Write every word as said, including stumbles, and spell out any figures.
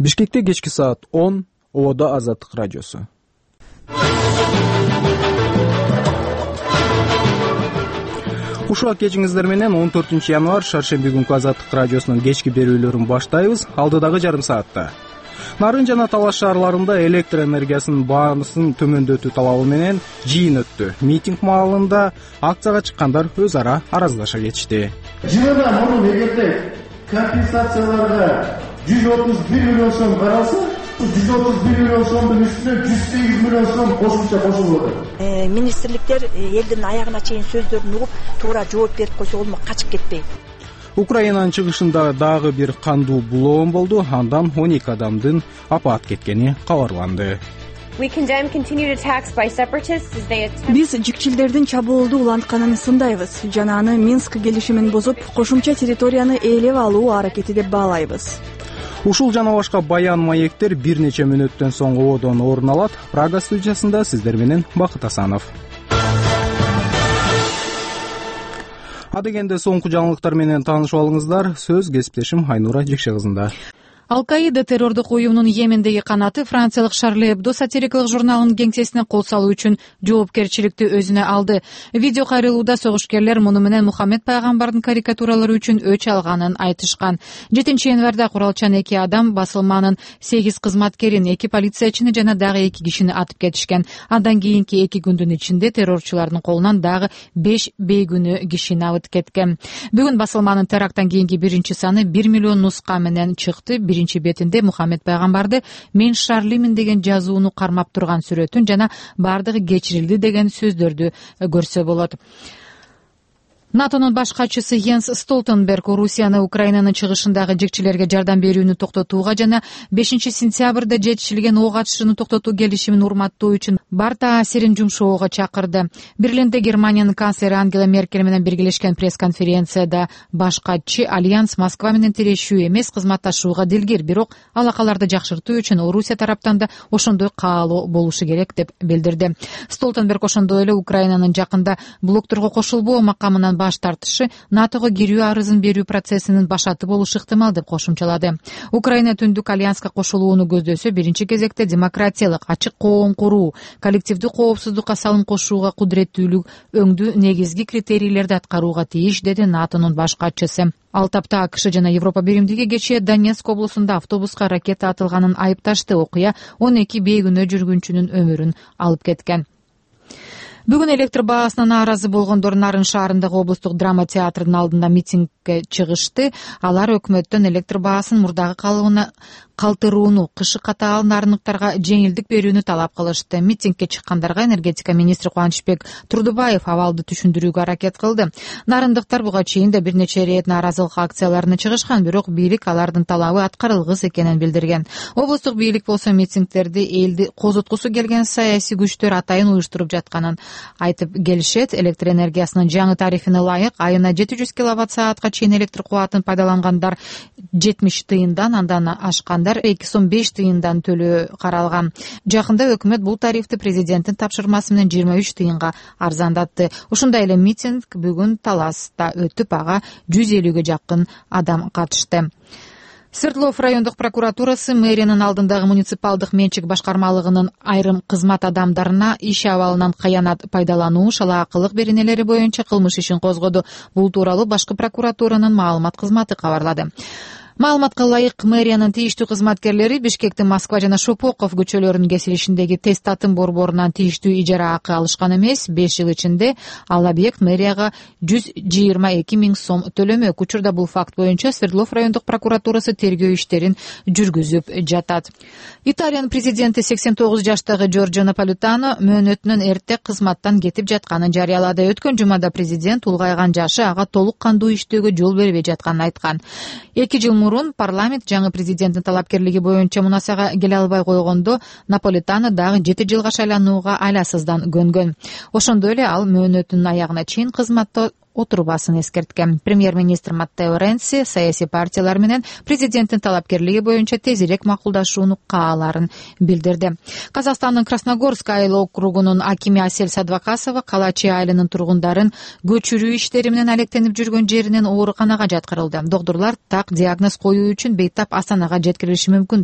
Бишкекте кечки саат он, Ободо Азаттык радиосу. Ушул кечиңиздер менен он төртүнчү январь шаршемби күнкү Азаттык радиосунун кечки берүүлөрүн баштайбыз. Алдыдагы жарым саатта Нарын жана Талаш шаарларында электр энергиясынын баасын төмөндөтүү талабы менен жыйын өттү. Митинг маалында акцияга чыккандар өз ара араздаша кетишти. Жылына мурун эгерде компенсацияларга жүз отуз бир миллион сом каралса, жүз отуз бир миллион сомдун үстүнө жүз сегиз миллион сом кошумча кошулуп атат. Министрликтер элдин аягына чейин сөздөрүн угуп, туура жооп берип койсо болмок, качып кетпей. Украинанын чыгышында дагы бир кандуу булоон болду. Андан он эки адамдын апаат кеткени кабарланды. Биз жикчилдердин чабуулду улантканын сындайбыз жана аны Минск келишимин бузуп, кошумча территорияны ээлеп алуу аракети деп баалайбыз. Ушул жана башка баян маектер бир нече мүнөттөн соң Ободон орун алат. Прага студиясында сиздер менен Бакыт Асанов. Адегенде соңку жаңылыктар менен таанышып алыңыздар. Сөз кесиптешим Айнура Жекше кызында. Ал-Каида террордук уюмунун Йемендеги канаты франциялык Шарли Эбдо сатирикалык журналынын кеңсесине кол салуу үчүн жоопкерчиликти өзүнө алды. Видео кайрылууда согушкерлер муну менен Мухаммед пайгамбардын карикатуралары үчүн өч алганын айтышкан. жетинчи январда куралчан эки адам басылманын сегиз кызматкерин, эки полициячыны жана дагы эки кишини атып кетишкен. Андан кийинки эки күндүн ичинде террорчулардын колунан дагы беш бейгүнөө кишини алып кеткен. Бүгүн басылманын теракттан кийинки биринчи саны бир миллион нуска менен чыкты. Биринчи бетинде Мухаммед пайгамбарды "Мен Шарлимин" деген жазууну кармап турган сүрөтүн жана "Бардыгы кечирилди" деген сөздөрдү көрсө болот. НАТОнун баш катчысы Йенс Столтенберг Орусияны Украинанын чыгышындагы жекчилерге жардам берүүнү токтотууга жана бешинчи сентябрда жетишилген ок атышууну токтотуу келишимин урматтоо үчүн бар таасирин жумшоого чакырды. Берлинде Германиянын канцлери Ангела Меркель менен биргелешкен пресс-конференцияда баш катчы Альянс Москва менен тирешүү эмес, кызматташууга дилгир, бирок алакаларды жакшыртуу үчүн Орусия тараптан да ошондой каалоо болушу керек деп билдирди. Столтенберг ошондой эле Украинанын жакында блокторго кошулбоо макамынан баш тартышы НАТОго кирүү арызын берүү процессинин башаты болушу ыктымал деп кошумчалады. Украина Түндүк альянска кошулууну көздөсө, биринчи кезекте демократиялык, ачык коом куруу, коллективдүү коопсуздукка салым кошууга кудуреттүүлүк өңдүү негизги критерийлерди аткарууга тийиш, деди НАТОнун баш катчысы. Ал тапта АКШ жана Европа биримдиги кечээ Донецк облусунда автобуска ракета атылганын айыпташты. Окуя он эки бейгүнөө жүргүнчүнүн өмүрүн алып кеткен. Бүгүн электр баасына нааразы болгондор Нарын шаарындагы облустук драма театрынын алдында митингге чыгышты. Алар өкмөттөн электр баасын мурдагы калыбына калтырууну, кышы катаал нарындыктарга жеңилдик берүүнү талап кылышты. Митингге чыккандарга энергетика министри Кубанычбек Турдубаев абалды түшүндүрүүгө аракет кылды. Нарындыктар буга чейин да бир нече ирет нааразылык акцияларына чыгышкан, бирок бийлик алардын талабы аткарылгыс экенин билдирген. Облустук бийлик болсо митингдерди элди козоткусу келген саясий күчтөр атайын уюштуруп жатканын айтып келишет. Электр энергиясынын жаңы тарифине ылайык айына жети жүз киловатт саатка чейин электр кубатын пайдалангандар жетимиш тыйындан, андан ашкандар эки сом беш тыйындан төлөө каралган. Жакында өкмөт бул тарифти президенттин тапшырмасы менен жыйырма үч тыйынга арзандатты. Ушундай эле митинг бүгүн Таласта өтүп, ага жүз элүүгө жакын адам катышты. Свердлов райондук прокуратурасы мэриянын алдындагы муниципалдык менчик башкармалыгынын айрым кызмат адамдарына иш абалынан кыянат пайдалануу, шалаакылык беренелери боюнча кылмыш ишин козгоду. Бул тууралуу башкы прокуратуранын маалымат кызматы кабарлады. Маалыматка ылайык, мэриянын тийиштүү кызматкерлери Бишкектин Москва жана Шопоков көчөлөрүнүн кесилишиндеги тест атын борборунан тийиштүү ижара акы алышкан эмес. беш жыл ичинде ал объект мэрияга жүз жыйырма эки миң сом төлөмөк. Учурда бул факт боюнча Свердлов райондук прокуратурасы тергөө иштерин жүргүзүп жатат. Италиянын президенти сексен тогуз жаштагы Джорджо Наполитано мөөнөтүнөн эрте кызматтан кетип жатканын жарыялады. Өткөн жумада президент улгайган жашы ага толук кандуу иштөөгө жол бербей жатканын айткан. эки жыл мурун парламент жаңы президенттин талапкерлиги боюнча мунасага келе албай койгондо Наполитано дагы жети жылга шайланууга айласыздан көнгөн. Ошондой эле ал мөөнөтүнүн аягына чейин кызматта отурбасын эскерткен. Премьер-министр Маттео Ренци саясий партиялар менен президенттин талапкерлиги боюнча тезирээк макулдашууну кааларын билдирди. Казакстандын Красногорск айыл округунун акими Асель Садвакасова Калачи айылынын тургундарын көчүрүү иштери менен алектенип жүргөн жеринен ооруканага жаткырылды. Доктурлар так диагноз коюу үчүн Бейтап Астанага жеткирилиши мүмкүн